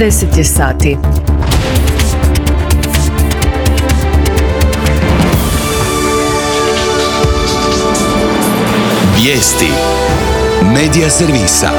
10 je sati. Vijesti Medija servisa.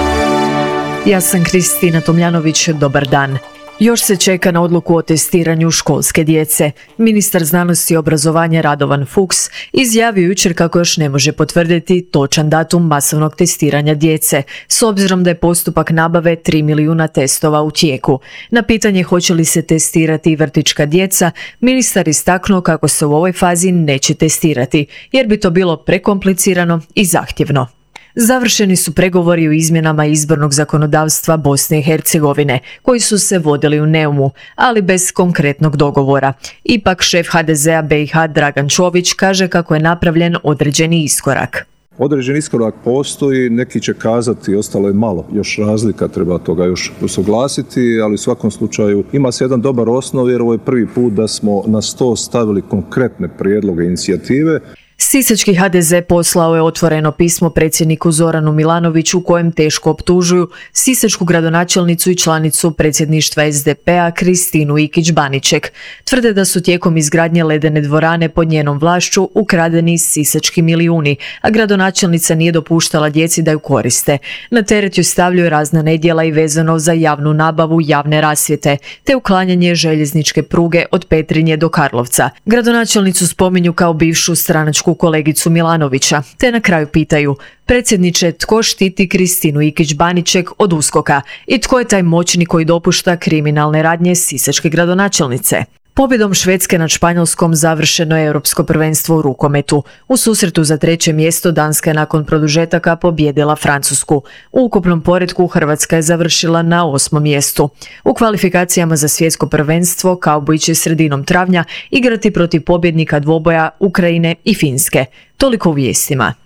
Ja sam Kristina Tomljanović, dobar dan. Još se čeka na odluku o testiranju školske djece. Ministar znanosti i obrazovanja Radovan Fuchs izjavio jučer kako još ne može potvrditi točan datum masovnog testiranja djece, s obzirom da je postupak nabave 3 milijuna testova u tijeku. Na pitanje hoće li se testirati i vrtićka djeca, ministar istaknuo kako se u ovoj fazi neće testirati, jer bi to bilo prekomplicirano i zahtjevno. Završeni su pregovori o izmjenama izbornog zakonodavstva Bosne i Hercegovine, koji su se vodili u Neumu, ali bez konkretnog dogovora. Ipak šef HDZ-a BiH Dragan Čović kaže kako je napravljen određeni iskorak. Određeni iskorak postoji, neki će kazati ostalo je malo, još razlika, treba toga još usuglasiti, ali u svakom slučaju ima se jedan dobar osnov jer ovo je prvi put da smo na sto stavili konkretne prijedloge inicijative. Sisački HDZ poslao je otvoreno pismo predsjedniku Zoranu Milanoviću u kojem teško optužuju sisačku gradonačelnicu i članicu predsjedništva SDP-a Kristinu Ikić-Baniček. Tvrde da su tijekom izgradnje ledene dvorane pod njenom vlašću ukradeni sisački milijuni, a gradonačelnica nije dopuštala djeci da ju koriste. Na teret ju stavljaju razna nedjela i vezano za javnu nabavu javne rasvjete, te uklanjanje željezničke pruge od Petrinje do Karlovca. Gradonačelnicu spominju kao bivšu stranačku kolegicu Milanovića, te na kraju pitaju: predsjedniče, tko štiti Kristinu Ikić-Baniček od USKOK-a i tko je taj moćnik koji dopušta kriminalne radnje sisačke gradonačelnice? Pobjedom Švedske nad Španjolskom završeno je Europsko prvenstvo u rukometu. U susretu za 3. mjesto Danska je nakon produžetaka pobijedila Francusku. U ukupnom poretku Hrvatska je završila na 8. mjestu. U kvalifikacijama za svjetsko prvenstvo Kauboji će sredinom travnja igrati protiv pobjednika dvoboja Ukrajine i Finske. Toliko u vijestima.